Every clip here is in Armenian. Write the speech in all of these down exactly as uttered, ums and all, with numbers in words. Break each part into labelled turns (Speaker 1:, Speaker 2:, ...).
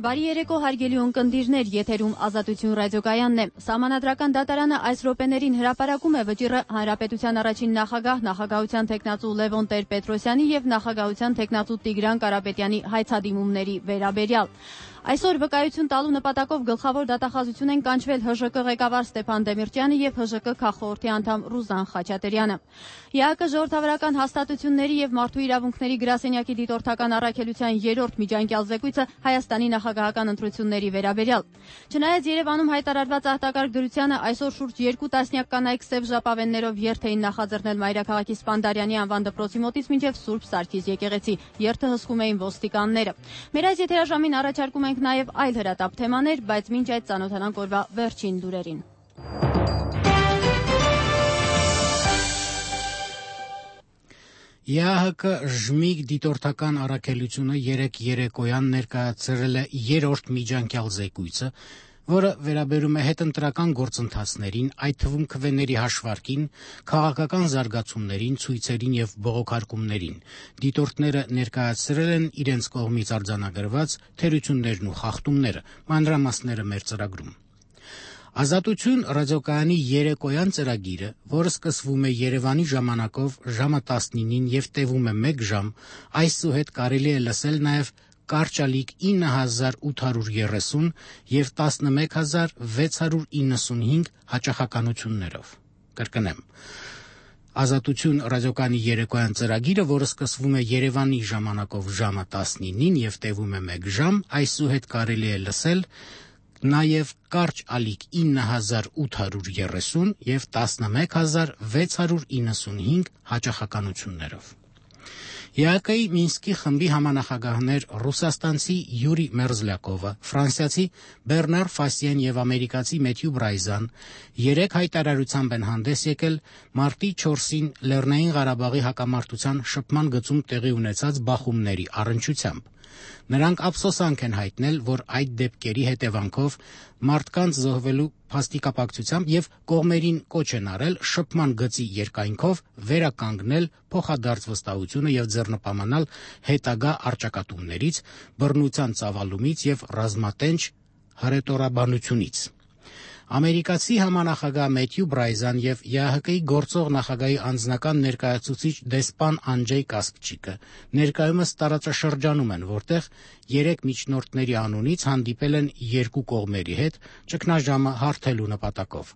Speaker 1: Բարի երեկո հարգելի ունկնդիրներ, եթերում Ազատություն ռադիոկայանն է։ Սահմանադրական դատարանը այս րոպեներին հրապարակում է վճիռը Հանրապետության առաջին նախագահ, նախագահության թեկնածու Լևոն Տեր-Պետրոսյանի եւ նախագահության թեկնածու Տիգրան Կարապետյանի հայցադիմումների վերաբերյալ։ Այսօր վկայություն տալու նպատակով գլխավոր դատախազություն են կանչվել Հ Ժ Կ ղեկավար Ստեփան Դեմիրճյանը եւ Հ Ժ Կ քաղխորհրդի անդամ Ռուզան Խաչատրյանը։ Ե Ա Կ ժողովրդավարական հաստատությունների եւ մարդու իրավունքների գրասենյակի դիտորդական առաքելության երրորդ միջանկյալ զեկույցը Հայաստանի նախագահական ընտրությունների վերաբերյալ։ Չնայած Երևանում հայտարարված արտակարգ դրությանը այսօր շուրջ երկու տասնյակ կանայք սև ժապավեններով երթ էին նախաձեռնել Մայրաքաղաքի Սպանդարյանի անվան դպրոցի մոտից մինչև Սուրբ Սարգիս եկեղեցի։ Երթը հսկում էին ոստիկանները։ Մեր այս եթերաժամին առաջարկում ենք նաև այլ հրատապ թեմաներ, բայց մինչ այդ ծանոթանանք օրվա վերջին լուրերին։
Speaker 2: Ե Ա Հ Ժմիգ դիտորդական առաքելությունը երեկ երեկոյան ներկայացրել է երրորդ միջանկյալ զեկույցը, որը վերաբերում է հետընտրական գործընթացներին, այդ թվում քվեների հաշվարկին, քաղաքական զարգացումներին, ցույցերին եւ բողոքարկումներին։ Դիտորդները ներկայացրել են իրենց կողմից արձանագրված թերություններն ու խախտումները, մանրամասները մեր ծրագրում։ Ազատություն ռադիոկայանի երեկոյան ծրագիրը, որը սկսվում է Երևանի ժամանակով ժամը տասնինին եւ տևում է մեկ ժամ, այսուհետ կարելի է լսել նաեւ կարճալիկ ինը հազար ութ հարյուր երեսուն եւ տասնմեկ հազար վեց հարյուր իննսունհինգ հաճախականություններով։ Կրկնեմ։ Ազատություն ռադիոկայանի երեկոյան ծրագիրը, որը սկսվում է Երևանի ժամանակով ժամը տասնինին եւ տևում է մեկ ժամ, այսուհետ կարելի է լսել նաև կարճ ալիք ինը հազար ութ հարյուր երեսուն եւ տասնմեկ հազար վեց հարյուր իննսունհինգ հաճախականություններով։ Ե Ա Կ-ի Մինսկի խմբի համանախագահներ ռուսաստանցի Յուրի Մերզլյակովը, ֆրանսիացի Բեռնար Ֆասիեն եւ ամերիկացի Մեթյու Բրայզան երեք հայտարարությամբ են հանդես եկել մարտի չորսին Լեռնային Ղարաբաղի հակամարտության շփման գծում տեղի ունեցած բախումների առնչությամբ։ Նրանք ափսոսանք են հայտնել, որ այդ դեպքերի հետևանքով մարդկանց զոհվելու փաստիկապակցությամբ եւ կողմերին կոչ են արել շփման գծի երկայնքով վերականգնել փոխադարձ վստահությունը եւ ձեռնպամանալ հետագա առճակատումներից, բռնության ծավալումից եւ ռազմատենչ հռետորաբանությունից։ Ամերիկացի համանախագահ Մեթյու Բրայզան եւ Ե Ա Հ Կ-ի գործող նախագահի անձնական ներկայացուցիչ դեսպան Անջեյ Կասպչիկը ներկայումս տարածաշրջանում են, որտեղ երեք միջնորդների անունից հանդիպել են երկու կողմերի հետ ճգնաժամը հարթելու նպատակով։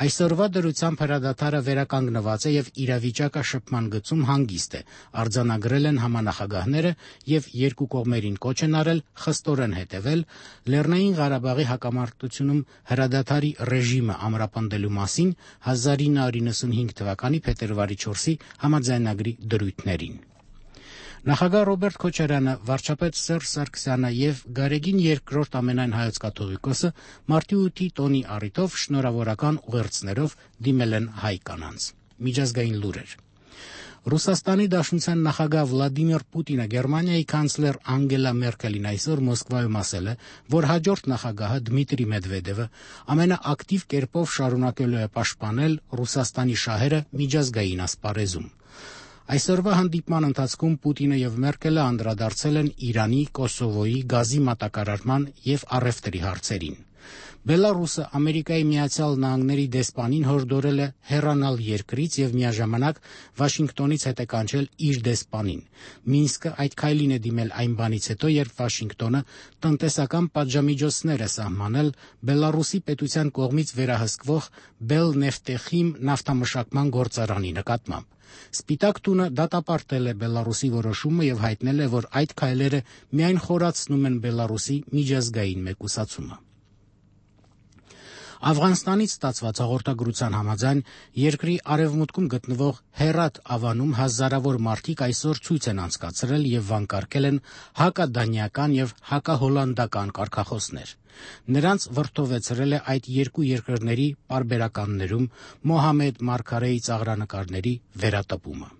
Speaker 2: Այսօրվա դրությամբ հրադադարը վերականգնված է եւ իրավիճակը շփման գծում հանգիստ է, արձանագրել են համանախագահները եւ երկու կողմերին կոչ են արել խստորեն հետեւել Լեռնային Ղարաբաղի հակամարտությունում հրադադարի ռեժիմը ամրապնդելու մասին հազար ինը հարյուր իննսունհինգ թվականի փետրվարի չորսի համաձայնագրի դրույթներին։ Նախագահ Ռոբերտ Քոչարյանը, վարչապետ Սերժ Սարգսյանը եւ Գարեգին երկրորդ ամենայն հայոց կաթողիկոսը մարտի ութի տոնի առիթով շնորհավորական ուղերձներով դիմել են հայ կանանց։ Միջազգային լուրեր։ Ռուսաստանի Դաշնության նախագահ Վլադիմիր Պուտինը Գերմանիայի կանցլեր Անգելա Մերկելին այսօր Մոսկվայում ասել է, որ հաջորդ նախագահը Դմիտրի Մեդվեդևը ամենաակտիվ կերպով շարունակելու է պաշտպանել Ռուսաստանի շահերը միջազգային ասպարեզում։ Այսօրվա հանդիպման ընթացքում Պուտինը եւ Մերկելը անդրադարձել են Իրանի, Կոսովոյի, գազի մատակարարման եւ առևտրի հարցերին։ Բելարուսը Ամերիկայի Միացյալ Նահանգների դեսպանին հորդորել է հեռանալ երկրից եւ միաժամանակ Վաշինգտոնից հետ է կանչել իր դեսպանին։ Մինսկը այդ քայլին է դիմել այն բանից հետո, երբ Վաշինգտոնը տնտեսական պատժամիջոցներ է սահմանել Բելարուսի պետության կողմից վերահսկվող Բելնեֆտեխիմ նավթամշակման գործարանի նկատմամբ։ Սպիտակ տունը դատապարտել է Բելարուսի որոշումը եւ հայտնել է, որ այդ քայլերը միայն խորացնում են Բելարուսի միջազգային մեկուսացումը։ Աֆղանստանից ստացված հաղորդագրության համաձայն երկրի արևմուտքում գտնվող Հերաթ ավանում հազարավոր մարդիկ այսօր ցույց են անցկացրել եւ վանկարկել են հակադանիական եւ հակահոլանդական կարգախոսներ։ Նրանց վրդովեցրել է այդ երկու երկրների պարբերականներում Մոհամեդ Մարգարեի ծաղրանկարների վերատպումը։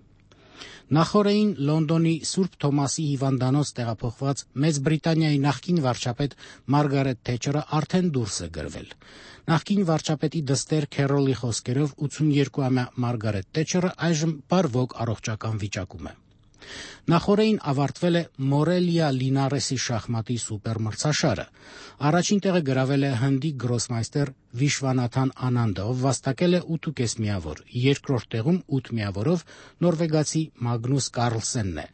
Speaker 2: Նախորդին Լոնդոնի Սուրբ Թոմասի հիվանդանոց տեղափոխված Մեծ Բրիտանիայի նախկին վարչապետ Մարգարետ Թեչերը արդեն դուրս է գրվել։ Նախկին վարչապետի դստեր Քերոլի խոսքերով ութսունյոթ ամյա Մարգարետ Թեչերը այժմ բարվոք առողջական վիճակում է։ Նախորդին ավարտվել է Մորելիա Լինարեսի շախմատի սուպերմրցաշարը։ Առաջին տեղը գրավել է հնդի գրոսմայստեր Վիշվանաթան Անանդը, ով վաստակել է ութ ու կես միավոր։ Երկրորդ տեղում ութ միավորով նորվեգացի Մագնուս Կարլսենն է։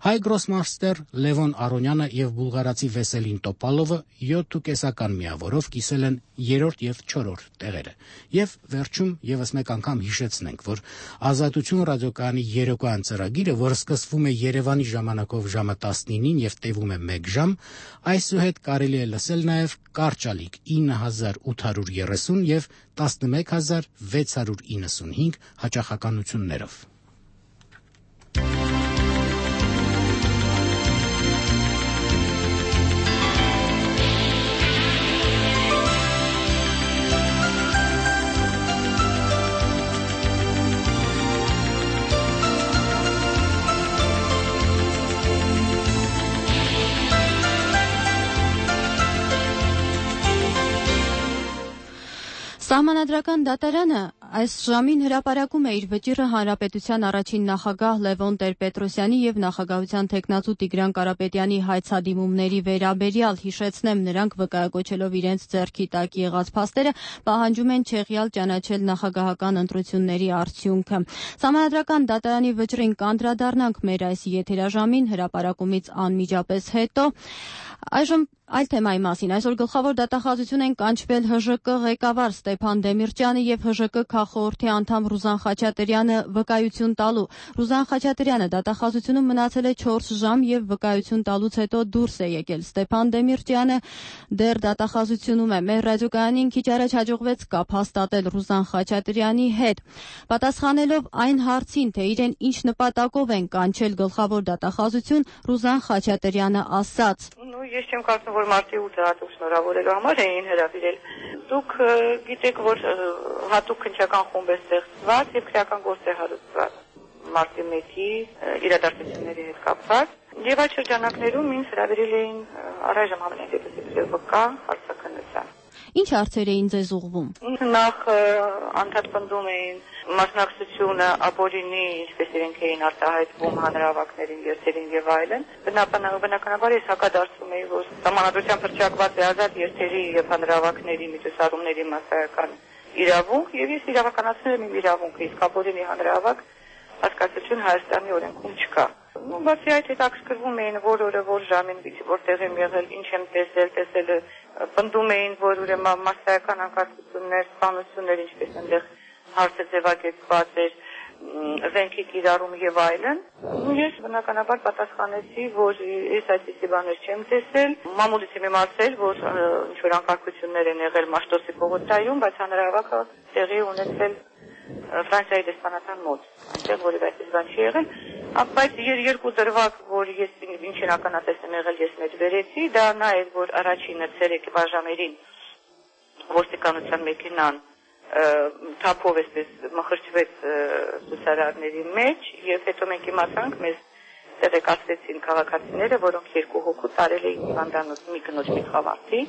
Speaker 2: Հայ գրոսմայստեր Լևոն Արոնյանը եւ բուլղարացի Վեսելին Տոպալովը յոթ ու կեսական միավորով կիսել են երրորդ եւ չորրորդ տեղերը։ Եվ վերջում եւս մեկ անգամ հիշեցնենք, որ Ազատություն ռադիոկայանի երեկոյան ծրագիրը, որը սկսվում է Երևանի ժամանակով ժամը տասնինին եւ տևում է մեկ ժամ, այսուհետ կարելի է լսել նաեւ կարճալիք ինը հազար ութ հարյուր երեսուն եւ տասնմեկ հազար վեց հարյուր իննսունհինգ հաճախականություններով։
Speaker 1: Սահմանադրական դատարանը այս ժամին հրապարակում է իր վճիռը Հանրապետության առաջին նախագահ Լևոն Տեր-Պետրոսյանի եւ նախագահության թեկնածու Տիգրան Կարապետյանի հայցադիմումների վերաբերյալ։ Հիշեցնեմ, նրանք վկայակոչելով իրենց ձեռքի տակ եղած փաստերը պահանջում են չեղյալ ճանաչել նախագահական ընտրությունների արդյունքը։ Սահմանադրական դատարանի վճռին կանդրադառնանք մեր այս եթերաժամին հրապարակումից անմիջապես հետո։ Այժմ այլ թեմայի մասին։ Այսօր գլխավոր դատախազություն են կանչվել Հ Ժ Կ ղեկավար Ստեփան Դեմիրճյանը եւ Հ Ժ Կ քաղխորհրդի անդամ Ռուզան Խաչատրյանը վկայություն տալու։ Ռուզան Խաչատրյանը դատախազությունում մնացել է չորս ժամ եւ վկայություն տալուց հետո դուրս է եկել։ Ստեփան Դեմիրճյանը դեռ դատախազությունում է։ Մեր ռադիոկայանին քիչ առաջ հաջողվեց կապ հաստատել Ռուզան Խաչատրյանի հետ։ Պատասխանելով այն հարցին, թե իրեն ինչ նպատակով են կանչել գլխավոր դատախազություն, Ռուզան Խաչատրյանը ասաց.
Speaker 3: Ես չեմ կարծում, որ մարտի ութը հատուկ շնորհավորելու համար էին հրավիրել։ Դուք գիտեք, որ հատուկ քննչական խումբ է ստեղծված եւ քրեական գործ է հարուցված մարտի մեկի իրադարձությունների հետ կապված։ Եվ այդ շրջանակներում ինձ հրավիրել էին առայժմ ամենատեսակի վկա հարցաքննության։
Speaker 1: Ինչ հարցեր էին ձեզ ուղղվում։
Speaker 3: Նախ անդրադառնում էին մասնակցությունը ապօրինի, ինչպես իրենք էին արտահայտվում հանրահավաքներին, երթերին եւ այլն։ Բնականաբար ես հակադարձում էի, որ Սահմանադրությամբ հռչակված է ազատ երթերի եւ հանրահավաքների միջոցառումների մասսայական իրավունք, եւ ես իրավականացնում եմ իմ իրավունքը, իսկ ապօրինի հանրահավաք հասկացություն Հայաստանի օրենքում չկա։ Ու բացի այդ հետաքրքրվում էին որ օրը որ ժամին որտեղ եմ եղել, ինչ եմ տեսել, տեսել պնդում էին, որ ուրեմն մասսայական անկարգություններ, սպանություններ, ինչպես այնտեղ հարցը ձևակերպված էր, զենքի կիրառում եւ այլն։ Ես բնականաբար պատասխանեցի, որ ես այսպիսի բաներ չեմ տեսել։ Մամուլից եմ իմացել, որ ինչ որ անկարգություններ են եղել Մաշտոցի պողոտայում, բայց հանրահավաքը տեղի ունեցել Ֆրանսիայի դեսպանատան մոտ, այնտեղ որևէ այդպես բան չի եղել, բայց երկու դրվագ, որ ես ինչ իրականատես եմ եղել, ես մեջ վերեցի, դա նա էր, որ առաջինը ցերեկի բաժամերին ոստիկանության մեքենան թափով էսպես մխրճվեց ցուցարարների մեջ, եւ հետո մենք իմացանք, մեզ տեղեկացրեցին քաղաքացիները, որոնք երկու հոգու տարել էին հիվանդանոց մի կնոջ մի խավարդի,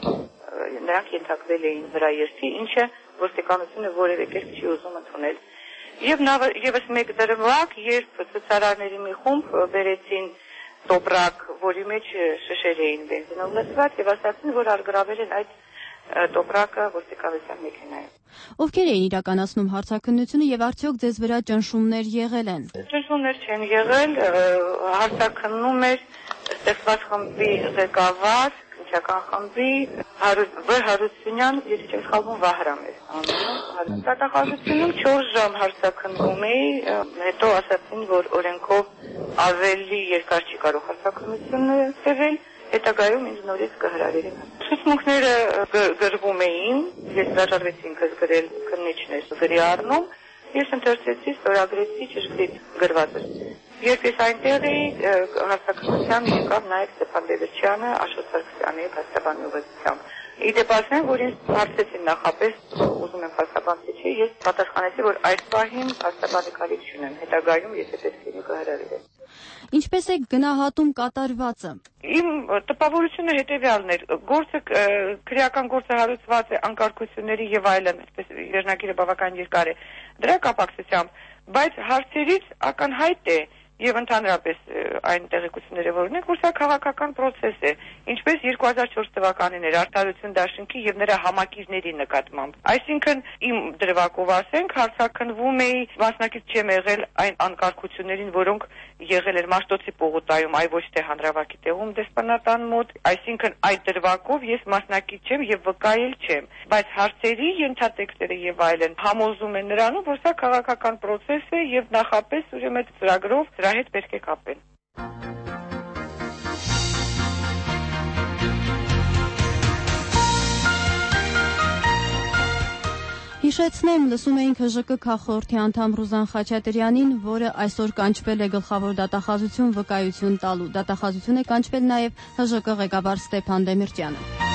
Speaker 3: նրանք ենթարկվել էին վրա երթի, ինչը ոստիկանությունը որևէ կերպ չի ուզում ընդունել։ Եվ եւս մեկ դրվագ, երբ ցուցարարների մի խումբ բերեցին տոպրակ, որի մեջ շշեր էին բենզինով լցված, եւ ասացին, որ արգրավել են այդ տոպրակը ոստիկանության մեքենայում։
Speaker 1: Ովքեր էին իրականացնում հարցաքննությունը եւ արդյոք ձեզ վրա ճնշումներ եղել են։
Speaker 3: Ճնշումներ չեն եղել, հարցաքննում էր ստեղծված խմբի ղեկավար, քննչական խմբի Վ Հարությունյան, եթե չեմ սխալվում, Վահրամ էր անունը։ Դատախազությունում չորս ժամ հարցաքննում էի, հետո ասացին, որ օրենքով ավելի երկար չի կարող հարցաքննությունը տևել, հետագայում ինձ նորից կհրավիրեն։ Ցուցմունքները գրվում էին, ես հրաժարվեցի ինքս գրել, քննիչներ գրի առնում, ես ընթերցեցի, ստորագրեցի ճշգրիտ գրվածը։ Երբ ես այնտեղ էի, հարցաքննության եկավ նաև Ստեփան Դեմիրճյանը, Աշոտ Սարգսյանի փաստաբանի ուղեկցությամբ։ Իդեպ ասեմ, որ ինձ հարցեցին նախապես, ուզում եմ փաստաբանցի չի, ես պատասխանեցի, որ այս պահին փաստաբանի կարիք չունեմ, հետագայում ես պետք է կհրավիրեմ։
Speaker 1: Ինչպես է գնահատում կատարվածը։
Speaker 3: Իմ տպավորությունը հետևյալն էր, գործը քրեական գործը հարուցված է անկարգությունների եւ այլն, այսպես վերնագիրը բավական երկար է։ Դրա կապակցությամբ, բայց հարցերից ակնհայտ է եւ ընդհանրապես այն տեղեկությունները, որ ունենք, որ սա քաղաքական process է, ինչպես երկու հազար չորս թվականին էր Արդարություն դաշինքի եւ նրա համակիրների նկատմամբ։ Այսինքն իմ դրվագով ասենք, հարցաքննվում էի, մասնակից չեմ եղել այն անկարգություններին, որոնք եղել էր Մաշտոցի պողոտայում, այ ոչ թե Հանրավակի տեղում դեսպանատան մոտ, այսինքն այդ դրվագով ես մասնակից չեմ եւ վկայել չեմ, բայց հարցերի ենթատեքստերը եւ այլն համոզում են նրանով, որ սա քաղաքական process է եւ նախապես ուրեմն այդ ծրագրով դրա հետ պետք է կապեն։
Speaker 1: Հիշեցնեմ, լսում էինք Հ Ժ Կ քաղխորհրդի անդամ Ռուզան Խաչատրյանին, որը այսօր կանչվել է գլխավոր դատախազություն վկայություն տալու։ Դատախազություն է կանչվել նաև Հ Ժ Կ ղեկավար Ստեփան Դեմիրճյանը։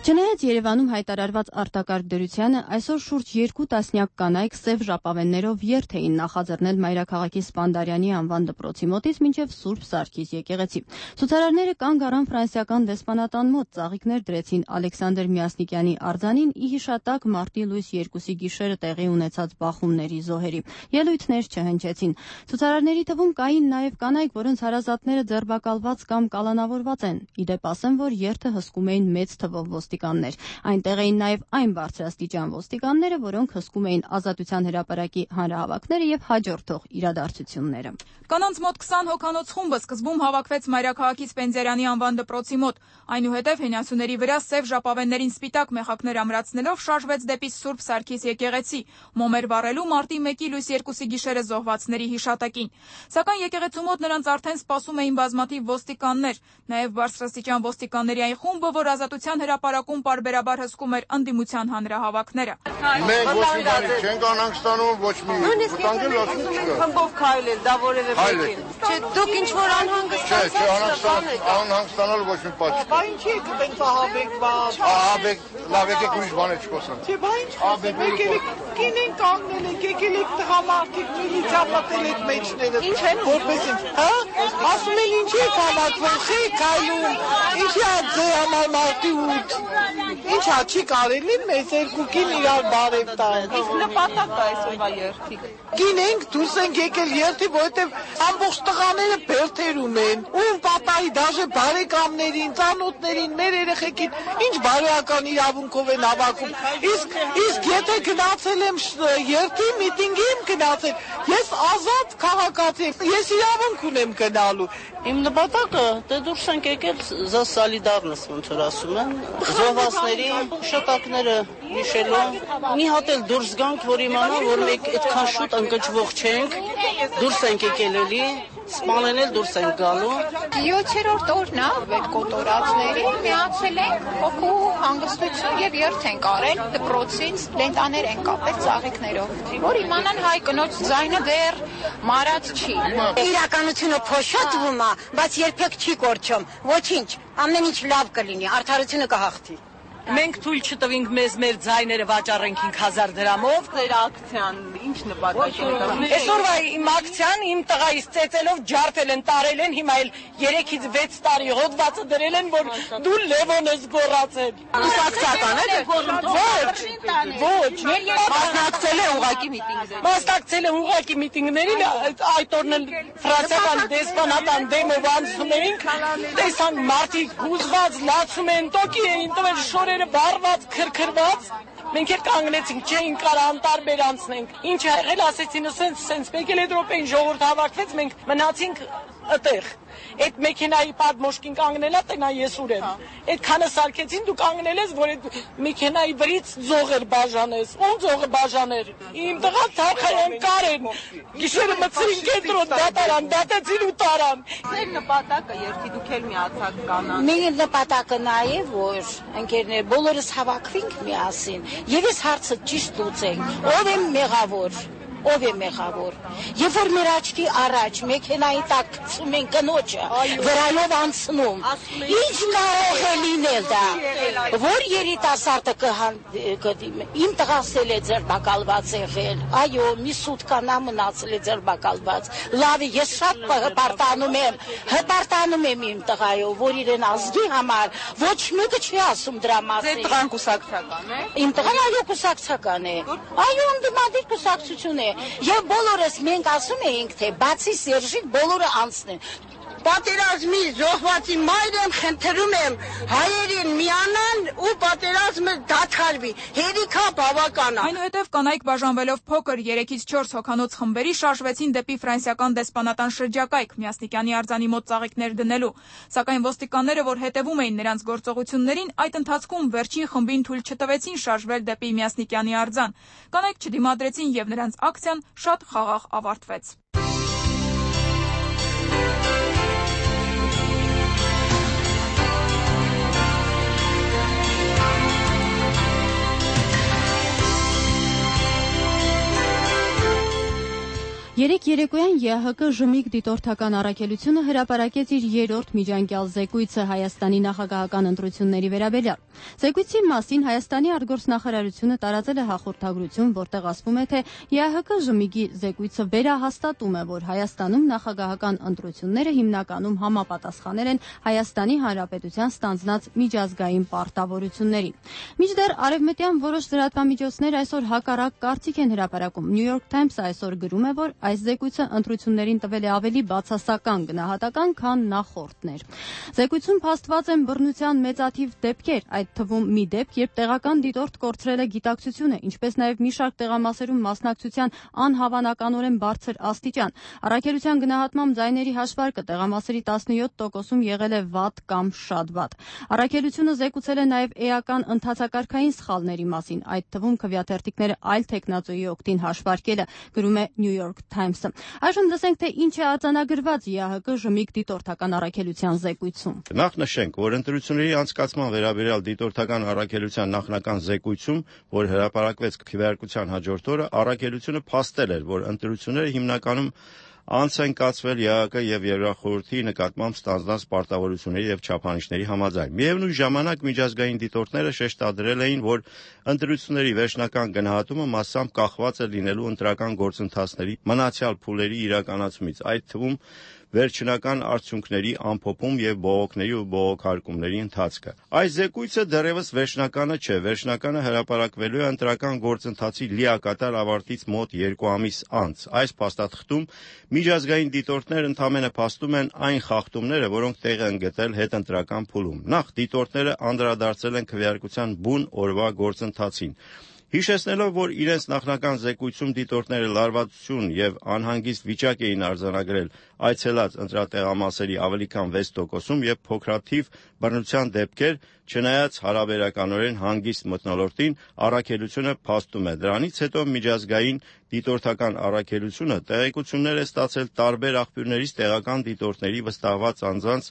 Speaker 1: Չնայած Երևանում հայտարարված արտակարգ դրությանը, այսօր շուրջ երկու տասնյակ կանայք սև ժապավեններով երթ էին նախաձեռնել Մայրաքաղաքի Սպանդարյանի անվան դպրոցի մոտից մինչև Սուրբ Սարգիս եկեղեցի։ Ցուցարարները կանգ առան ֆրանսիական դեսպանատան մոտ, ծաղիկներ դրեցին Ալեքսանդր Միասնիկյանի արձանին ի հիշատակ մարտի լույս երկուսի գիշերը տեղի ունեցած բախումների զոհերի։ Ելույթներ չհնչեցին։ Ցուցարարների թվում կային նաև կանայք, որոնց հարազատները ձերբակալված կամ կալանավորված են։ Իդեպ ասեմ, որ երթը հսկում էին մեծ թվով ոստիկաններ։ Այնտեղ էին նաև այն բարձրաստիճան ոստիկանները, որոնք հսկում էին Ազատության հրապարակի հանրահավաքները եւ հաջորդող իրադարձությունները։
Speaker 4: Կանանց մոտ քսան հոգանոց խումբը սկզբում հավաքվեց Մայրաքաղաքի Սպենդիարյանի անվան դպրոցի մոտ, այնուհետև հենասյուների վրա սև ժապավեններին սպիտակ մեխակներ ամրացնելով շարժվեց դեպի Սուրբ Սարգիս եկեղեցի, մոմեր վառելու մարտի մեկի լույս երկուսի գիշերը զոհվածների հիշատակին։ Սակայն եկեղեցու մոտ նրանց արդեն սպասում էին բազմաթիվ ոստիկաններ, նաև բարձրաստիճան ոստիկանների այն խումբը, որ Ազատության հրապարակում պարբերաբար հսկում էր ընդդիմության հանրահավաքները։
Speaker 5: Մենք ոչ մի բանի չենք անհանգ ստանում, ոչ մի վտանգել ասում չկա։
Speaker 6: Խմբով քայլել, դա որևէ մեկին։ Չէ, դուք ինչ որ անհանգստացած
Speaker 5: Չէ, չէ, անհանգ ստանալ ոչ մի բան չկա։
Speaker 6: Բա ինչի եք տենց ահաբեկված։
Speaker 5: Ահաբեկ, լավ եկեք ուրիշ բան չխոսանք։
Speaker 6: Չէ, բա ինչ խոսեմ, եկել եք կինեն կանգնել եք, եկել եք տղամարդիկ միլիցիա մտել եք մեջները։ Ինչ են որպես ինչ, հա? Ասում են ինչի եք հավաքվել, չի քայլում։ Ինչի է ձեր համար մարտի ութ։ Ինչա չի կարելի մեզ երկուքին իրար բարև տալ։ Իսկ նպատակը այսօրվա երթիկ։ Գինենք դուրս ենք եկել երթի, որովհետև ամբողջ տղաները բերթերում են։ Ում պատահի դաժե բարեկամներին, ծանոթներին, մեր երեխեքին ինչ բարոյական իրավունքով են հավաքում։ Իսկ իսկ եթե գնացել եմ երթի միտինգի եմ գնացել, ես ազատ քաղաքացի եմ, ես իրավունք ունեմ գնալու։
Speaker 7: Իմ նպատակը դե դուրս ենք եկել за սոլիդարնս ոնց որ ասում են, զոհվածների շտակները հիշելու, մի հատ էլ դուրս գանք, որ իմանան, որ մենք այդքան շուտ ընկճվող չենք, դուրս ենք եկել էլի, սպանեն էլ դուրս ենք գալու։
Speaker 8: յոթերորդ օրն է այդ կոտորածներին միացել ենք հոգու հանգստություն եւ երթ ենք արել դպրոցից, լենտաներ ենք կապել ծաղիկներով, որ իմանան հայ կնոջ ձայնը դեռ մարած չի։
Speaker 9: Իրականությունը փոշոտվում է, բայց երբեք չի կորչում։ Ոչինչ, ամեն ինչ լավ կլինի, արդարությունը կհաղթի։
Speaker 6: Մենք թույլ չտվինք մեզ մեր ձայները վաճառենք հինգ հազար դրամով։ Ձեր ակցիան ինչ նպատակ ունի։ Այսօրվա իմ ակցիան իմ տղայից ծեծելով ջարդել են, տարել են, հիմա էլ երեքից վեց տարի հոդվածը դրել են, որ դու Լևոն ես գոռացել։ Ակցիական է։ Ոչ, ոչ։ Մասնակցել է ուղակի միտինգներին։ Մասնակցել է ուղակի միտինգներին, այդ օրն էլ ֆրանսիական դեսպանատան դեմով անցնում էինք, տեսանք մարդիկ հուզված լացում են, տոկի էին տվել շորերը վառված, քրքրված, մենք էլ կանգնեցինք, չէին կարա անտարբեր անցնենք։ Ինչ ա եղել, ասեցին, սենց, սենց, մեկ էլ Եվրոպային ժողովուրդ հավաքվեց, մենք մնացինք այդտեղ։ Այդ մեքենայի պատմոշկին կանգնելա, տնա ես ուր եմ։ Այդքանը սարքեցին, դու կանգնել ես, որ այդ մեքենայի վրից ձողեր բաժանես։ Ում ձողը բաժաներ։ Իմ տղա թարխայան կարեն։ Գիշերը մցրին կենտրոն, դատարան, դատեցին ու տարան։ Ձեր նպատակը երթի դուք էլ միացաք կանան։
Speaker 9: Մեր նպատակը նաև որ ընկերներ բոլորս հավաքվենք միասին եւ այս հարցը ճիշտ լուծենք։ Ով է մեղավոր։ ով է մեղավոր։ Երբ որ մեր աչքի առաջ մեքենայի տակ գցում են կնոջը, վրայով անցնում, ինչ կարող է լինել դա, որ երիտասարդը կդիմի, իմ տղասել է ձերբակալված եղել, այո, մի սուտկանա մնացել է ձերբակալված, լավ է, ես շատ հպարտանում եմ, հպարտանում եմ իմ տղայով, որ իրեն ազգի համար ոչ մեկը չի ասում դրա մասին։
Speaker 4: Ձեր տղան կուսակցական է։
Speaker 9: Իմ տղան այո կուսակցական է, այո ընդդիմադիր կուսակցություն է, եւ բոլորս մենք ասում էինք, թե բացի Սերժիկ բոլորը անցնեն։ Պատերազմի զոհվածի մայր եմ, խնդրում եմ հայերին միանան ու պատերազմը դադարվի, հերիքա բավական է։
Speaker 4: Այնուհետև կանայք բաժանվելով փոքր երեքից չորս հոգանոց խմբերի շարժվեցին դեպի ֆրանսիական դեսպանատան շրջակայք Միասնիկյանի արձանի մոտ ծաղիկներ դնելու, սակայն ոստիկանները, որ հետևում էին նրանց գործողություններին, այդ ընթացքում վերջին խմբին թույլ չտվեցին շարժվել դեպի Միասնիկյանի արձան։ Կանայք չդիմադրեցին եւ նրանց ակցիան շատ խաղաղ ավարտվեց։
Speaker 1: Երեկ երեկոյան ԵԱՀԿ Ժմիկ դիտորդական առաքելությունը հրապարակեց իր երրորդ միջանկյալ զեկույցը Հայաստանի նախագահական ընտրությունների վերաբերյալ։ Զեկույցի մասին Հայաստանի արտգործնախարարությունը տարածել է հաղորդագրություն, որտեղ ասվում է, թե ԵԱՀԿ Ժմիկի զեկույցը վերահաստատում է, որ Հայաստանում նախագահական ընտրությունները հիմնականում համապատասխանել են Հայաստանի Հանրապետության ստանձնած միջազգային պարտավորություններին։ Մինչդեռ արևմտյան որոշ լրատվամիջոցներ այսօր հակառակ կարծիք են հրապարակում։ New York Times-ը այսօր գրում է, որ այս զեկույցը ընտրություններին տվել է ավելի բացասական գնահատական, քան նախորդներ։ Զեկույցում փաստված են բռնության մեծաթիվ դեպքեր, այդ թվում մի դեպք, երբ տեղական դիտորդ կորցրել է գիտակցությունը, ինչպես նաև մի շարք տեղամասերում մասնակցության անհավանականորեն բարձր աստիճան։ Առաքելության գնահատմամբ ձայների հաշվարկը տեղամասերի տասնյոթ տոկոսում եղել է վատ կամ շատ վատ։ Առաքելությունը զեկուցել է նաև էական ընթացակարգային սխալների մասին, այդ թվում քվեաթերթիկները այլ թեկնածուի օգտին հաշվարկելը, գրում է New York Times-ը։ Այժմ լսենք, թե ինչ է արձանագրված ԵԱՀԿ Ժմիկ դիտորդական առաքելության զեկույցում։
Speaker 10: Նախ նշենք, որ ընտրությունների անցկացման վերաբերյալ դիտորդական առաքելության նախնական զեկույցում, որ հրապարակվեց քվեարկության հաջորդ օրը, առաքելությունը փաստել էր, որ ընտրությունները հիմնականում անց են կացվել ԵԱՀԿ եւ Եվրախորհրդի նկատմամբ ստանձնած պարտավորությունների եւ չափանիշների համաձայն։ Միևնույն ժամանակ միջազգային դիտորդները շեշտադրել էին, որ ընտրությունների վերջնական գնահատումը մասամբ կախված է լինելու ընտրական գործընթացների մնացյալ փուլերի իրականացումից, այդ թվում վերջնական արդյունքների ամփոփում եւ բողոքների ու բողոքարկումների ընթացքը։ Այս զեկույցը դեռևս վերջնականը չէ, վերջնականը հրապարակվելու է ընտրական գործընթացի լիակատար ավարտից մոտ երկու ամիս անց։ Այս փաստաթղթում միջազգային դիտորդներ ընդամենը փաստում են այն խախտումները, որոնք տեղ են գտել հետընտրական փուլում։ Նախ դիտորդները անդրադարձել են քվեարկության բուն օրվա գործընթացին։ Հիշեցնելով, որ իրենց նախնական զեկույցում դիտորդները լարվածություն եւ անհանգիստ վիճակ էին արձանագրել այցելած ընտրատեղամասերի ավելի քան վեց տոկոսում եւ փոքրաթիվ բռնության դեպքեր, չնայած հարաբերականորեն հանգիստ մթնոլորտին, առաքելությունը փաստում է։ Դրանից հետո միջազգային դիտորդական առաքելությունը տեղեկություններ է ստացել տարբեր աղբյուրներից տեղական դիտորդների վստահված անձանց,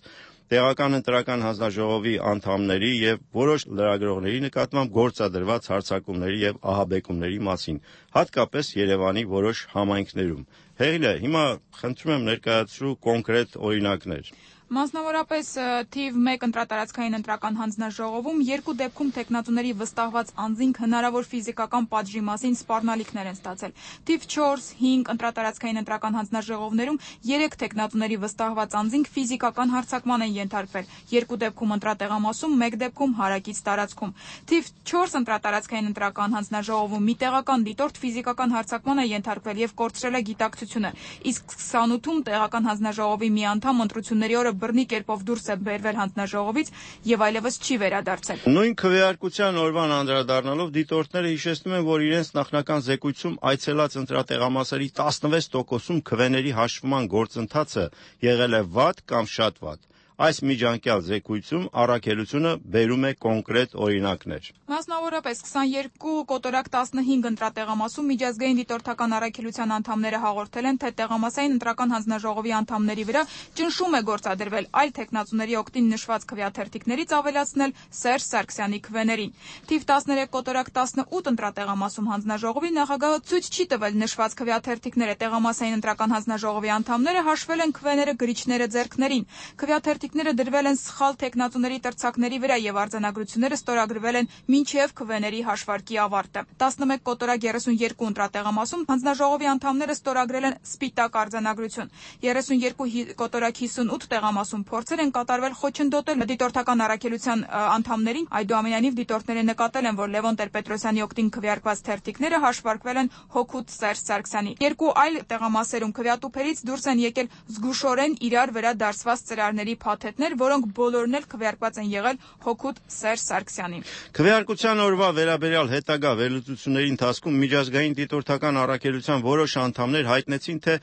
Speaker 10: տեղական ընտրական հանձնաժողովի անդամների եւ որոշ լրագրողների նկատմամբ գործադրված հարձակումների եւ ահաբեկումների մասին, հատկապես Երևանի որոշ համայնքներում։ Հեղինե, հիմա խնդրում եմ ներկայացրու կոնկրետ օրինակներ։
Speaker 4: Մասնավորապես թիվ մեկ ընտրատարածքային ընտրական հանձնաժողովում երկու դեպքում տեխնատուների վստահված անձինք հնարավոր ֆիզիկական պատժի մասին սպառնալիքներ են ստացել։ Թիվ չորս հինգ ընտրատարածքային ընտրական հանձնաժողովներում երեք տեխնատուների վստահված անձինք ֆիզիկական հարձակման են ենթարկվել, երկու դեպքում ընտրատեղամասում, մեկ դեպքում հարակից տարածքում։ Թիվ չորս ընտրատարածքային ընտրական հանձնաժողովում մի տեղական դիտորդ ֆիզիկական հարձակման է ենթարկվել եւ կորցրել է գիտակցությունը, իսկ քսանութում տեղական հանձնաժողովի մի անդամ ընտրությունների օրը բռնի կերպով դուրս է բերվել հանձնաժողովից եւ այլևս չի վերադարձել։
Speaker 10: Նույն քվեարկության օրվան անդրադառնալով դիտորդները հիշեցնում են, որ իրենց նախնական զեկույցում այցելած ընտրատեղամասերի տասնվեց տոկոսում քվեների հաշվման գործընթացը եղել է վատ կամ շատ վատ։ այս միջանկյալ զեկույցում առաքելությունը բերում է կոնկրետ օրինակներ։
Speaker 4: Մասնավորապես քսաներկու կոտորակ տասնհինգ ընտրատեղամասում միջազգային դիտորդական առաքելության անդամները հաղորդել են, թե տեղամասային ընտրական հանձնաժողովի անդամների վրա ճնշում է գործադրվել այլ թեկնածուների օգտին նշված քվեաթերթիկներից ավելացնել Սերժ Սարգսյանի քվեներին։ Թիվ տասներեք կոտորակ տասնութ ընտրատեղամասում հանձնաժողովի նախագահը ցույց չի տվել նշված քվեաթերթիկները, տեղամասային ընտրական հանձնաժողովի անդամները հաշվել են քվեները գրիչները ձեռքներին։ Քվեաթերթիկները դրվել են սխալ թեկնածուների տրցակների վրա եւ արձանագրությունները ստորագրվել են մինչև քվեների հաշվարկի ավարտը։ տասնմեկ կոտորակ երեսունյերկու ընտրատեղամասում հանձնաժողովի անդամները ստորագրել են սպիտակ արձանագրություն։ երեսունյերկու կոտորակ հիսունութ տեղամասում փորձեր են կատարվել խոչընդոտել դիտորդական առաքելության անդամներին, այդուամենայնիվ դիտորդները նկատել են, որ Լևոն Տեր-Պետրոսյանի օգտին քվեարկված թերթիկները հաշվարկվել են հօգուտ Սերժ Սարգսյանի։ Երկու այլ տեղամասերում քվեատուփերից դուրս են եկել զգուշորեն իրար վրա դարսված ծրարների փաթեթներ, որոնք բոլորն էլ քվեարկված են եղել հօգուտ Սերժ Սարգսյանի։
Speaker 10: Քվեարկության օրվա վերաբերյալ հետագա վերլուծությունների ընթացքում միջազգային դիտորդական առաքելության որոշ անդամներ հայտնեցին, թե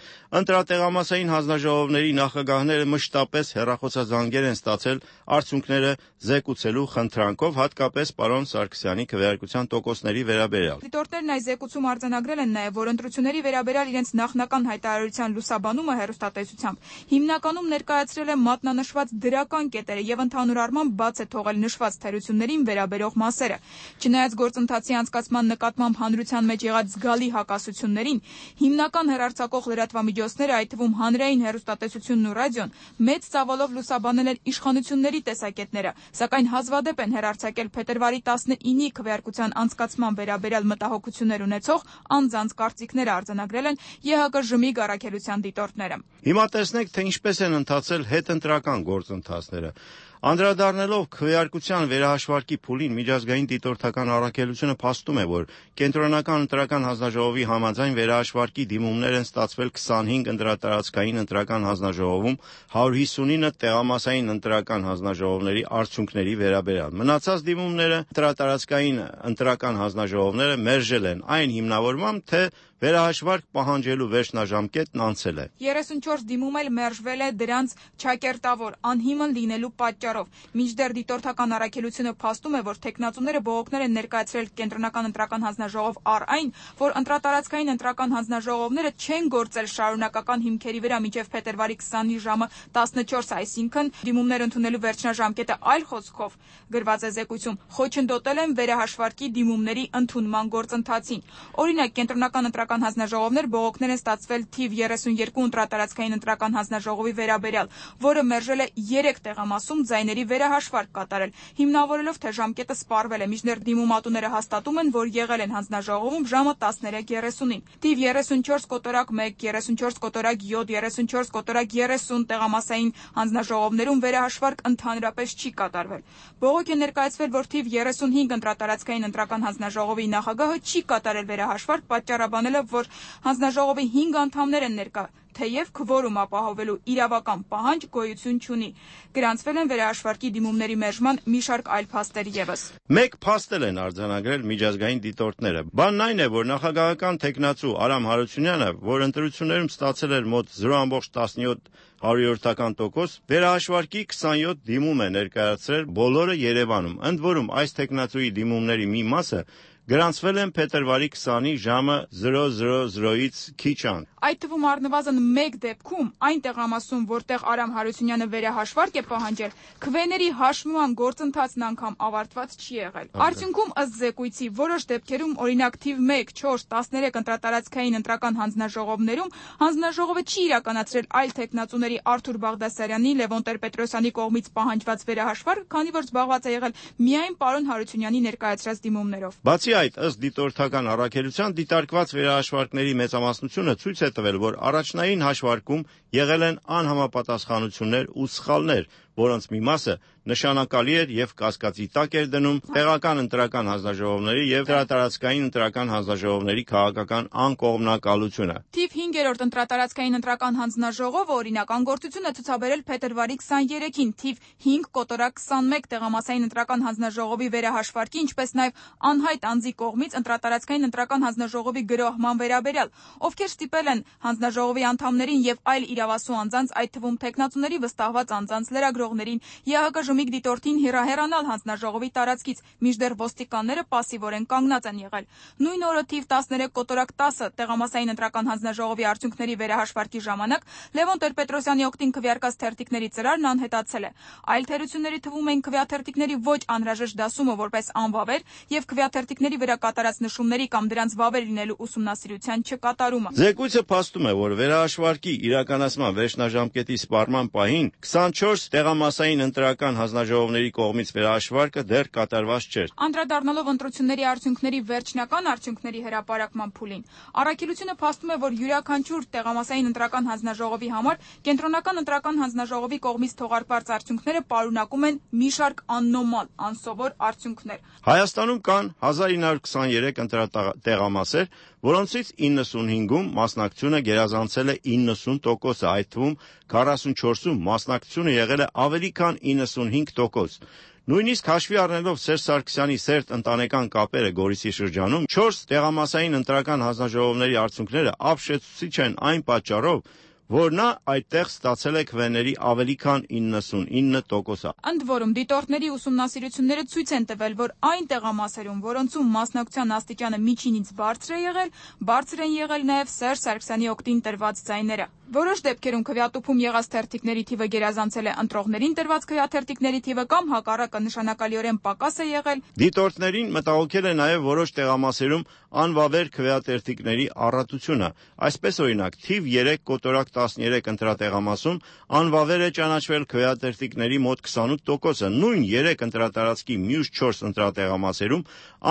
Speaker 10: ընտրատեղամասային հանձնաժողովների նախագահները մշտապես հեռախոսազանգեր են ստացել արդյունքները զեկուցելու խնդրանքով, հատկապես պարոն Սարգսյանի քվեարկության տոկոսների վերաբերյալ։
Speaker 4: Դիտորդներն այս զեկուցում արձանագրել են նաև, որ ընտրությունների վերաբերյալ իրենց նախնական հայտարարության լուսաբանումը հեռուստատեսությամբ հիմնականում ներկայացրել է մատնանշված դրական կետերը եւ ընդհանուր առմամբ բաց է թողել նշված թերություններին վերաբերող մասերը։ Չնայած գործընթացի անցկացման նկատմամբ հանրության մեջ եղած զգալի հակասություններին, հիմնական հեռարձակող լրատվամիջոցները, այդ թվում հանրային հեռուստատեսությունն ու ռադիոն, մեծ ծավալով լուսաբանել են իշխանությունների տեսակետները, սակայն հազվադեպ են հեռարձակել փետրվարի տասնինի քվեարկության անցկացման վերաբերյալ մտահոգություններ ունեցող անձանց կարծիքները արձանագրել են ԵՀԿ-ԺՄԻԳ առաքելության դիտորդները։
Speaker 10: Հիմա տեսնենք, թե ինչպես են ընթացել հետընտրական գործընթացները։ Անդրադառնալով քվեարկության վերահաշվարկի փուլին, միջազգային դիտորդական առաքելությունը փաստում է, որ կենտրոնական ընտրական հանձնաժողովի համաձայն վերահաշվարկի դիմումներ են ստացվել քսանհինգ ընտրատարածքային ընտրական հանձնաժողովում, հարյուր հիսունինը տեղամասային ընտրական հանձնաժողովների արդյունքների վերաբերյալ։ Մնացած դիմումները ընտրատարածքային ընտրական հանձնաժողովները մերժել են այն հիմնավորմամբ, թե վերահաշվարկ պահանջելու վերջնաժամկետն անցել է։
Speaker 4: երեսունչորս դիմում էլ մերժվել է դրանց չակերտավոր անհիմն լինելու պատճառով։ Մինչդեռ դիտորդական առաքելությունը փաստում է, որ թեկնածուները բողոքներ են ներկայացրել կենտրոնական ընտրական հանձնաժողով առ այն, որ ընտրատարածքային ընտրական հանձնաժողովները չեն գործել շարունակական հիմքերի վրա մինչև փետրվարի քսանի ժամը տասնչորս, այսինքն դիմումներ ընդունելու վերջնաժամկետը այլ խոսքով գրված է զեկույցում, խոչընդոտել են վերահաշվարկի դիմումների ընդունման գործընթացին։ Օրինակ, կենտրոնական ընտրական հանձնաժողովներ բողոքներ են ստացվել թիվ երեսունյերկու ընտրատարածքային ընտրական հանձնաժողովի վերաբերյալ, որը մերժել է երեք տեղամասում ձայների վերահաշվարկ կատարել, հիմնավորելով, թե ժամկետը սպառվել է, մինչդեռ դիմումատուները հաստատում են, որ եղել են հանձնաժողովում ժամը տասներեք երեսունին։ Թիվ երեսունչորս կոտորակ մեկ, երեսունչորս կոտորակ յոթ, երեսունչորս կոտորակ երեսուն տեղամասային հանձնաժողովներում վերահաշվարկ ընդհանրապես չի կատարվել։ Բողոք է ներկայացվել, որ թիվ երեսունհինգ ընտրատարածքային ընտրական հանձնաժողովի նախագահը չի կատարել վերահաշվարկ, պատճառաբանելով, որ հանձնաժողովի հինգ անդամներ են ներկա, թեև քվորում ապահովելու իրավական պահանջ գոյություն չունի։ Գրանցվել են վերահաշվարկի դիմումների մերժման մի շարք այլ փաստեր ևս։
Speaker 10: Մեկ փաստ են արձանագրել միջազգային դիտորդները։ Բանն այն է, որ նախագահական թեկնածու Արամ Հարությունյանը, որ ընտրություններում ստացել էր մոտ զրո ամբողջ տասնյոթ հարյուրյորդական տոկոս, վերահաշվարկի քսանյոթ դիմում է ներկայացրել բոլորը Երևանում։ Ընդ որում, այս թեկնածուի դիմումների մի մասը գրանցվել են փետրվարի քսանի ժամը զրո զրո զրոից քիչ անց։
Speaker 4: Այդ թվում առնվազն մեկ դեպքում այն տեղամասում, որտեղ Արամ Հարությունյանը վերահաշվարկ է պահանջել, քվեների հաշվման գործընթացն անգամ ավարտված չի եղել։ Արդյունքում, ըստ զեկույցի, որոշ դեպքերում, օրինակ թիվ մեկ, չորս, տասներեք ընտրատարածքային ընտրական հանձնաժողովներում հանձնաժողովը չի իրականացրել այլ թեկնածուների Արթուր Բաղդասարյանի, Լևոն Տեր-Պետրոսյանի կողմից պահանջված վերահաշվարկ, քանի որ զբաղված է եղել միայն պարոն Հարությունյանի ներկայացրած դիմումներով։
Speaker 10: Բացի այդ, ըստ դիտորդական առաքելության, դիտարկված վերահաշվարկների մեծամասնությունը ցույց է տվել, որ առաջնային հաշվարկում եղել են անհամապատասխանություններ ու սխալներ, որոնց մի մասը նշանակալի էր եւ կասկածի տակ էր դնում տեղական ընտրական հանձնաժողովների եւ ընտրատարածքային ընտրական հանձնաժողովների քաղաքական անկողմնակալությունը։
Speaker 4: Թիվ հինգերորդ ընտրատարածքային ընտրական հանձնաժողովը օրինական գործություն է ցուցաբերել փետրվարի քսաներեքին թիվ հինգ կոտորակ քսանմեկ տեղամասային ընտրական հանձնաժողովի վերահաշվարկի, ինչպես նաեւ անհայտ անձի կողմից ընտրատարածքային ընտրական հանձնաժողովի գրոհման վերաբերյալ, ովքեր ստիպել են հանձնաժողովի անդամներին եւ այլ իրավասու անձանց, այդ թվում թեկնածուների վստահված անձանց լրագրող ընտրողներին, ԵԱՀԿ ժմիկ դիտորդին հեռահեռանալ հանձնաժողովի տարածքից, մինչդեռ ոստիկանները պասիվորեն կանգնած են եղել։ Նույն օրը թիվ տասներեք կոտորակ տասը տեղամասային ընտրական հանձնաժողովի արդյունքների վերահաշվարկի ժամանակ Լևոն Տեր-Պետրոսյանի օգտին քվեարկած թերթիկների ծրարն անհետացել է։ Այլ թերությունների թվում էին քվեաթերթիկների ոչ անհրաժեշտ դասումը որպես անվավեր եւ քվեաթերթիկների վրա կատարած նշումների կամ դրանց վավեր լինելու ուսումնասիրության չկատարումը։
Speaker 10: Զեկույցը փաստում է, որ վերահաշվարկի իրականացման վերջնաժամկետի սպառման պահին քսանչորս տեղամասային ընտրական հանձնաժողովների կողմից վերահաշվարկը դեռ կատարված չէր։
Speaker 4: Անդրադառնալով ընտրությունների արդյունքների վերջնական արդյունքների հրապարակման փուլին, առաքելությունը փաստում է, որ յուրաքանչյուր տեղամասային ընտրական հանձնաժողովի համար կենտրոնական ընտրական հանձնաժողովի կողմից թողարկված արդյունքները պարունակում են մի շարք աննորմալ, անսովոր արդյունքներ։
Speaker 10: Հայաստանում կան հազար ինը հարյուր քսաներեք ընտրատեղամասեր, որոնցից իննսունհինգում մասնակցությունը գերազանցել է իննսուն տոկոսը, այդ թվում քառասունչորսում մասնակցությունը եղել է ավելի քան իննսունհինգ տոկոս։ Նույնիսկ հաշվի առնելով Սերժ Սարգսյանի սերտ ընտանեկան կապերը Գորիսի շրջանում, չորս տեղամասային ընտրական հանձնաժողովների արդյունքները ապշեցուցիչ են այն պատճառով, որ նա այդտեղ ստացել է քվեների ավելի քան իննսունինը տոկոսը։
Speaker 4: Ընդ որում, դիտորդների ուսումնասիրությունները ցույց են տվել, որ այն տեղամասերում, որոնցում մասնակցության աստիճանը միջինից բարձր է եղել, բարձր են եղել նաև Սերժ Սարգսյանի օգտին տրված ձայները։ Որոշ դեպքերում քվեատուփում եղած թերթիկների թիվը գերազանցել է ընտրողներին տրված քվեաթերթիկների թիվը կամ հակառակը նշանակալիորեն պակաս է եղել։
Speaker 10: Դիտորդներին մտահոգել է նաև որոշ տեղամասերում անվավեր քվեաթերթիկների առատությունը։ Այսպես օրինակ, թիվ երեք կոտորակ տասներեք ընտրատեղամասում անվավեր է ճանաչվել քվեաթերթիկների մոտ քսանութ տոկոսը, նույն երեք ընտրատարածքի մյուս չորս ընտրատեղամասերում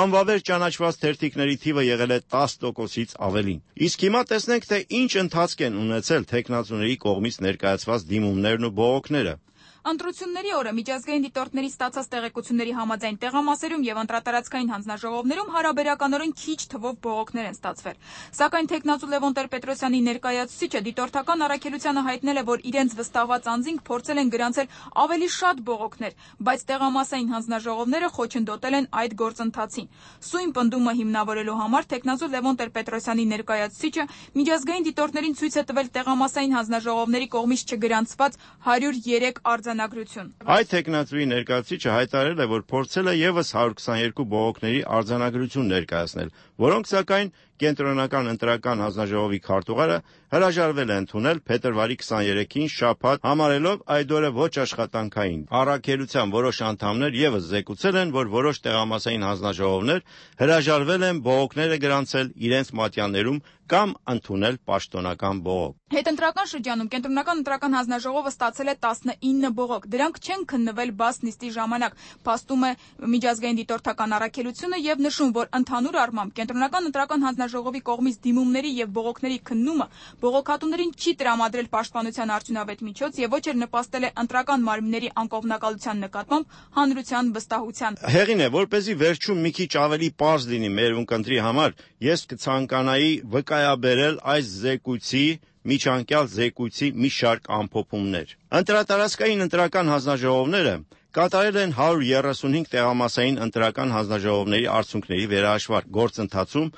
Speaker 10: անվավեր ճանաչված թերթիկների թիվը եղել է տասը տոկոսից ավելին։ Իսկ հիմա տեսնենք, թե ինչ ընթացք են ունեցել թեկնածուների կողմից ներկայացված դիմումներն ու բողոքները։
Speaker 4: Ընտրությունների օրը միջազգային դիտորդների ստացած տեղեկությունների համաձայն տեղամասերում եւ ընտրատարածքային հանձնաժողովներում հարաբերականորեն քիչ թվով բողոքներ են ստացվել։ Սակայն թեկնածու Լևոն Տեր-Պետրոսյանի ներկայացուցիչը դիտորդական առաքելությանը հայտնել է, որ իրենց վստահված անձինք փորձել են գրանցել ավելի շատ բողոքներ, բայց տեղամասային հանձնաժողովները խոչընդոտել են այդ գործընթացին։ Սույն պնդումը հիմնավորելու համար թեկնածու Լևոն Տեր-Պետրոսյանի ներկայացուցիչը միջազգային դիտորդներին ցույց է տվել տեղամասային հանձնաժողովների կողմից չգրանցված հարյուր երեք արձանագրություն։
Speaker 10: Այդ թեկնածուի ներկայացուցիչը հայտարարել է, որ փորձել է եւս հարյուր քսաներկու բողոքների արձանագրություն ներկայացնել, որոնք սակայն կենտրոնական ընտրական հանձնաժողովի քարտուղարը հրաժարվել է ընդունել փետրվարի քսաներեքին շաբաթ, համարելով այդ օրը ոչ աշխատանքային։ Առաքելության որոշ անդամներ եւս զեկուցել են, որ որոշ տեղամասային հանձնաժողովներ հրաժարվել են բողոքները գրանցել իրենց մատյաններում կամ ընդունել պաշտոնական բողոք։
Speaker 4: Հետընտրական շրջանում կենտրոնական ընտրական հանձնաժողովը ստացել է տասնինը բողոք։ Դրանք չեն քննվել բաց նիստի ժամանակ, փաստում է միջազգային դիտորդական առաքելությունը եւ նշում, որ ընդհանուր առմամբ կենտրոնական ընտրական հանձնաժողովի կողմից դիմումների եւ բողոքների քննումը բողոքատուներին չի տրամադրել պաշտպանության արդյունավետ միջոց եւ ոչ էլ նպաստել է ընտրական մարմինների անկողմնակալության նկատմամբ հանրության վստահության։
Speaker 10: Հեղին է, որպեսզի վերջում մի քիչ ավելի պարզ լինի մեր ունկնդրի համար, ես կցանկանայի վկայաբերել այս զեկույցի միջանկյալ զեկույցի մի շարք ամփոփումներ։ Ընտրատարածքային ընտրական հանձնաժողովները կատարել են հարյուր երեսունհինգ տեղամասային ընտրական հանձնաժողովների արդյունքների վերահաշվարկ գործընթացում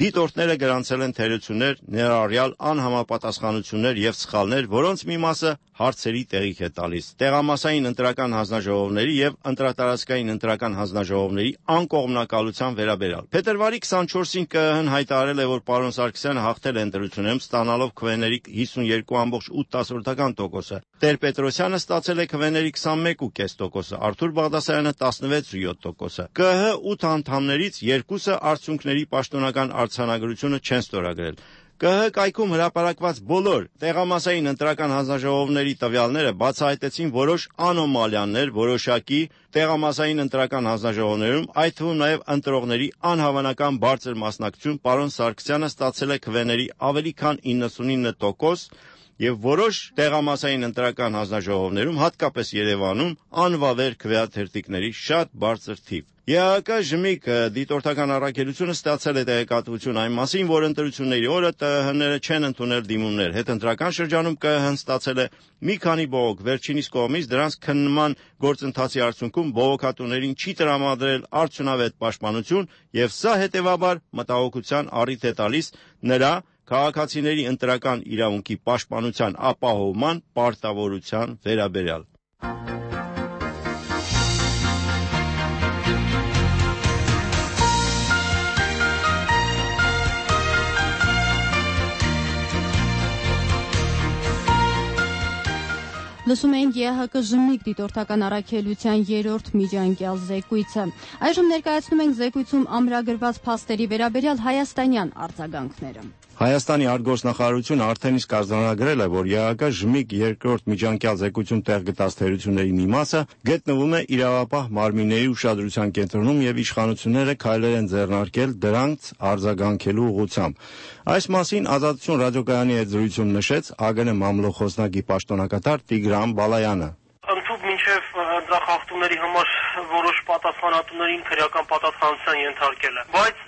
Speaker 10: դիտորդները գրանցել են թերություններ, ներառյալ անհամապատասխանություններ եւ սխալներ, որոնց մի մասը հարցերի տեղիք է տալիս։ Տեղամասային ընտրական հանձնաժողովների եւ ընտրատարածքային ընտրական հանձնաժողովների անկողմնակալության վերաբերյալ։ Փետրվարի քսանչորսին ԿԸՀ-ն հայտարարել է, որ պարոն Սարգսյանը հաղթել է ընտրություններում, ստանալով քվեների հիսունյոթ կόμμα ութ տոկոսը։ Տեր-Պետրոսյանը ստացել է քվեների քսանմեկ կόμμα պենս տոկոսը, Արթուր Բաղդասարյանը տասնվեց կόμμα յոթ տոկոսը։ ԿԸՀ ութ անդամներից երկուսը արդյունքների պաշտոնական արձանագրությունը չեն ստորագրել։ ԿԸՀ կայքում հրապարակված բոլոր տեղամասային ընտրական հանձնաժողովների տվյալները բացահայտեցին որոշ անոմալիաներ որոշակի տեղամասային ընտրական հանձնաժողովներում, այդ թվում նաև ընտրողների անհավանական բարձր մասնակցություն։ Պարոն Սարգսյանը ստացել է քվեների ավելի քան իննսունինը տոկոս եւ որոշ տեղամասային ընտրական հանձնաժողովներում, հատկապես Երևանում, անվավեր քվեաթերթիկների շատ բարձր թիվ։ ԵԱՀԿ ժմիկ դիտորդական առաքելությունը ստացել է տեղեկատվություն այն մասին, որ ընտրությունների օրը ՏԸՀ-ները չեն ընդունել դիմումներ։ Հետընտրական շրջանում ԿԸՀ-ն ստացել է մի քանի բողոք, վերջինիս կողմից դրանց քննման գործընթացի արդյունքում բողոքատուներին չի տրամադրել արդյունավետ պաշտպանություն եւ սա հետեւաբար մտահոգության առիթ է տալիս նրա քաղաքացիների ընտրական իրավունքի պաշտպանության ապահովման պարտավորության վերաբերյալ։
Speaker 1: Լսում էինք ԵԱՀԿ Ժմիկ դիտորդական առաքելության երրորդ միջանկյալ զեկույցը։ Այժմ ներկայացնում ենք զեկույցում ամրագրված փաստերի վերաբերյալ հայաստանյան արձագանքները։
Speaker 10: Հայաստանի արտգործնախարարությունը արդեն իսկ արձանագրել է, որ ԵԱՀԿ Ժմիկ երկրորդ միջանկյալ զեկույցում տեղ գտած թերությունների մի մասը գտնվում է իրավապահ մարմինների ուշադրության կենտրոնում եւ իշխանությունները քայլեր են ձեռնարկել դրանց արձագանքելու ուղղությամբ։ Այս մասին Ազատություն ռադիոկայանի հետ զրույցում նշեց ԱԳՆ մամլո խոսնակի պաշտոնակատար Տիգրան Բալայանը։
Speaker 11: Ընդհանուր մինչև դրախախտումների համար որոշ պատասխանատուներին քրեական պատասխանատվության ենթարկել է, բայց